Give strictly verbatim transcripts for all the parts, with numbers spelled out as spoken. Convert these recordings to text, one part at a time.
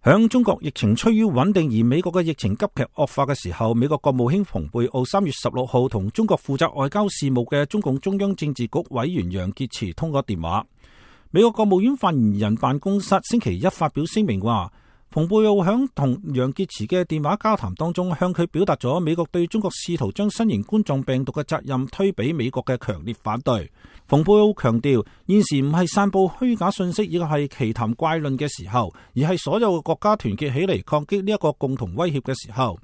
響中國疫情趨於穩定，而美國嘅疫情急劇惡化嘅時候，美國國務卿蓬佩奧三月十六號同中國負責外交事務嘅中共中央政治局委員楊潔篪通過電話。美國國務院發言人辦公室星期一發表聲明話，蓬佩奧響同楊潔篪嘅電話交談當中，向佢表達咗美國對中國試圖將新型冠狀病毒嘅責任推俾美國嘅強烈反對。蓬佩奧強調，現時唔係散布虛假信息，亦係奇談怪論嘅時候，而係所有嘅國家團結起嚟抗擊呢一個共同威脅嘅時候。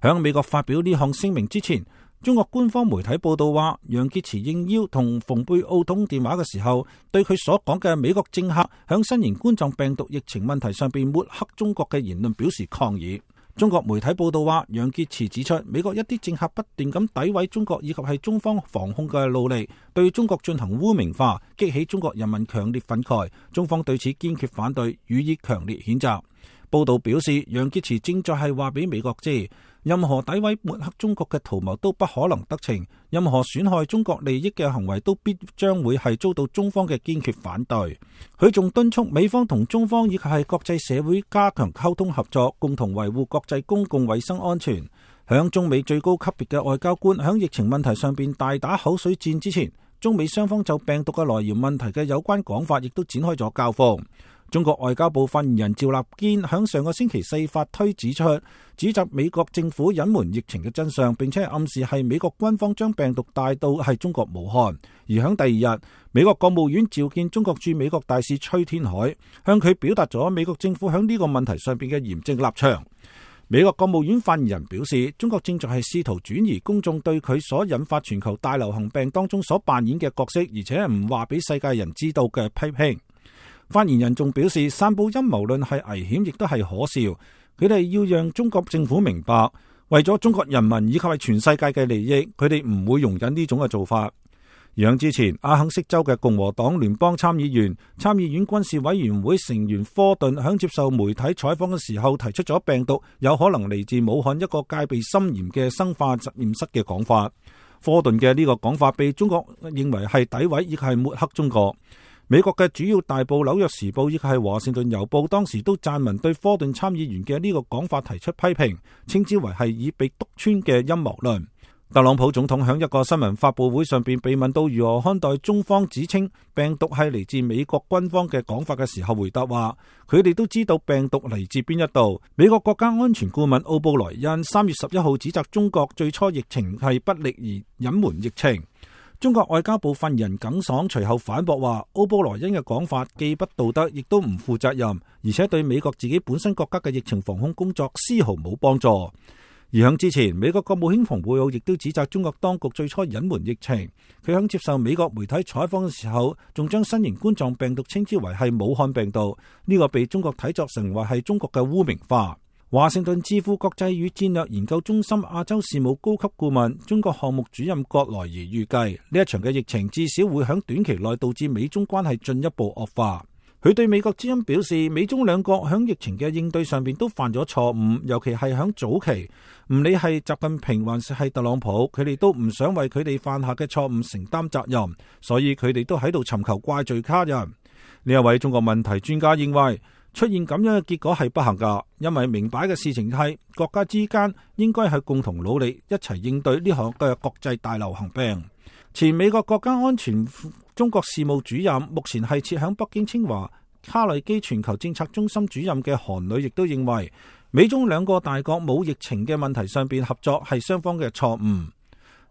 響美國發表呢項聲明之前，中國官方媒體報道話，楊潔篪應邀同蓬佩奧通電話嘅時候，對佢所講嘅美國政客響新型冠狀病毒疫情問題上邊抹黑中國嘅言論表示抗議。中國媒體報道話，楊潔篪指出，美國一啲政客不斷咁詆毀中國以及係中方防控嘅努力，對中國進行污名化，激起中國人民強烈憤慨，中方對此堅決反對，予以強烈譴責。報道表示，楊潔篪正在係話俾美國知，任何詆毀抹黑中國嘅圖謀都不可能得逞，任何損害中國利益嘅行為都必將會係遭到中方嘅堅決反對。佢仲敦促美方同中方以及係國際社會加強溝通合作，共同維護國際公共衛生安全。響中美最高級別嘅外交官響疫情問題上邊大打口水戰之前，中美雙方就病毒嘅來源問題嘅有關講法亦都展開咗交鋒。中國外交部發言人趙立堅響上個星期四發推指出，指責美國政府隱瞞疫情嘅真相，並且暗示係美國軍方將病毒帶到係中國武漢。而響第二日，美國國務院召見中國駐美國大使崔天凱，向佢表達咗美國政府響呢個問題上邊嘅嚴正立場。美國國務院發言人表示，中國正在係試圖轉移公眾對佢所引發全球大流行病當中所扮演嘅角色，而且唔話俾世界人知道嘅批評。發言人仲表示，散布陰謀論係危險，亦都係可笑。佢哋要讓中國政府明白，為咗中國人民以及係全世界嘅利益，佢哋唔會容忍呢種嘅做法。而之前，阿肯色州嘅共和黨聯邦參議員、參議院軍事委員會成員科頓響接受媒體採訪嘅時候，提出咗病毒有可能嚟自武漢一個戒備森嚴嘅生化實驗室嘅講法。科頓嘅呢個講法被中國認為係詆毀，亦係抹黑中國。美國嘅主要大報《紐約時報》亦係華盛頓郵報當時都撰文對科頓參議員嘅呢個講法提出批評，稱之為係已被篤穿嘅陰謀論。特朗普總統喺一個新聞發佈會上邊被問到如何看待中方指稱病毒係嚟自美國軍方嘅講法嘅時候，回答話佢哋都知道病毒嚟自邊一度。美國國家安全顧問奧布萊恩三月十一號指責中國最初疫情係不力而隱瞞疫情。中國外交部發言人耿爽隨後反駁話，奧布萊恩嘅講法既不道德，亦都唔負責任，而且對美國自己本身國家嘅疫情防控工作絲毫冇幫助。而響之前，美國國務卿蓬佩奧亦都指責中國當局最初隱瞞疫情。佢響接受美國媒體採訪嘅時候，仲將新型冠狀病毒稱之為係武漢病毒，呢、這個被中國睇作成為係中國嘅污名化。華盛頓智庫國際與戰略研究中心亞洲事務高級顧問、中國項目主任葛萊儀預計，呢一場嘅疫情至少會響短期內導致美中關係進一步惡化。佢對美國之音表示，美中兩國響疫情嘅應對上邊都犯咗錯誤，尤其係響早期，唔理係習近平還是係特朗普，佢哋都唔想為佢哋犯下嘅錯誤承擔責任，所以佢哋都喺度尋求怪罪他人。呢一位中國問題專家認為，出現咁樣嘅結果係不幸噶，因為明擺嘅事情係國家之間應該係共同努力，一齊應對呢項嘅國際大流行病。前美國國家安全中國事務主任，目前係設響北京清華卡內基全球政策中心主任嘅韓磊亦都認為，美中兩個大國冇疫情嘅問題上邊合作係雙方嘅錯誤。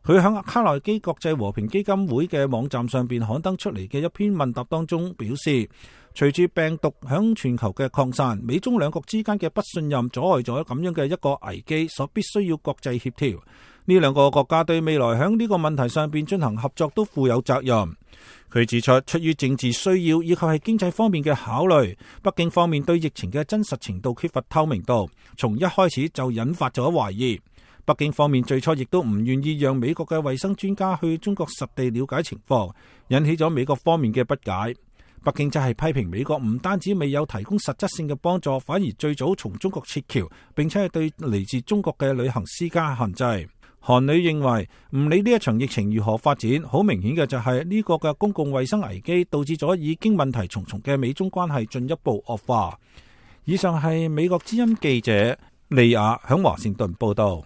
佢響卡內基國際和平基金會嘅網站上邊刊登出嚟嘅一篇問答當中表示，隨住病毒響全球嘅擴散，美中兩國之間嘅不信任阻礙咗咁樣嘅一個危機，所必須要國際協調。呢兩個國家對未來響呢個問題上邊進行合作都負有責任。佢指出，出於政治需要以及係經濟方面嘅考慮，北京方面對疫情嘅真實程度缺乏透明度，從一開始就引發咗懷疑。北京方面最初亦都唔願意讓美國嘅衛生專家去中國實地了解情況，引起咗美國方面嘅不解。北京則係批評美國唔單止未有提供實質性嘅幫助，反而最早從中國撤僑，並且係對嚟自中國嘅旅行施加限制。韓磊認為，唔理呢一場疫情如何發展，好明顯嘅就係呢個嘅公共衛生危機導致咗已經問題重重嘅美中關係進一步惡化。以上係美國之音記者利亞響華盛頓報道。